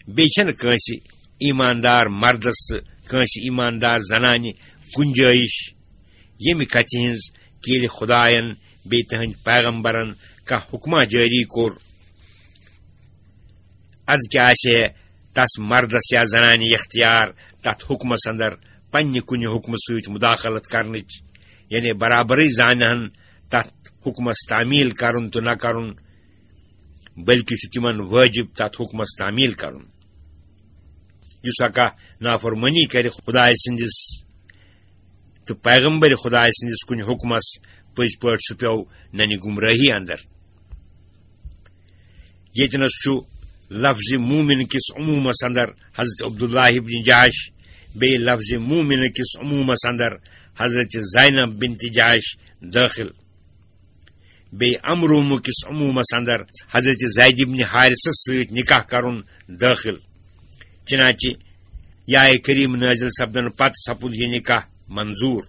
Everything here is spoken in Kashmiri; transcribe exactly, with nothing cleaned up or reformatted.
بیٚیہِ چھَنہٕ کٲنٛسہِ ایٖماندار مردس تہٕ کٲنٛسہِ ایٖماندار زنانہِ گُنجٲیِش، ییٚمہِ کتھِ ہٕنٛز کہِ ییٚلہِ خدایَن بیٚیہِ تٕہٕنٛدۍ پیغمبرن کانٛہہ حُکما جٲری کوٚر، اَدٕ کیٛاہ آسہِ ہے تس مردس یا زنانہِ اختیار تتھ حُکمس اندر پننہِ کُنہِ حُکمہٕ سۭتۍ مداخلت کرنٕچ؟ یعنی برابرٕے زانہن تتھ حُکمس تعمیل کرُن تہٕ نہ کرُن، بلکہِ چھُ تِمن وٲجِب تتھ حُکمس تعمیل کرُن۔ یُس ہا کانٛہہ نافرمٲنی کرِ خدایہِ سٕنٛدِس تہٕ پیغمبر خدایہِ سٕنٛدِس کُنہِ حُکمس، پٔزۍ پٲٹھۍ سُہ پیوٚو ننہِ گمرٲہی اندر۔ ییٚتنس چھُ لفظ مومن کِس عمومس اندر حضرت عبداللہ ابن جحش، بیٚیہِ لفظ مومن کِس عمومس اندر حضرت زینب بنت جحش دٲخل، بیٚیہِ امرومہٕ کِس عمومس اندر حضرت زید ابن حارثس سۭتۍ نکاح کرُن دٲخل۔ چنانچہ یہِ آیہِ کریم نٲزِل سپدن پتہٕ سپُد یہِ نکاح منظور۔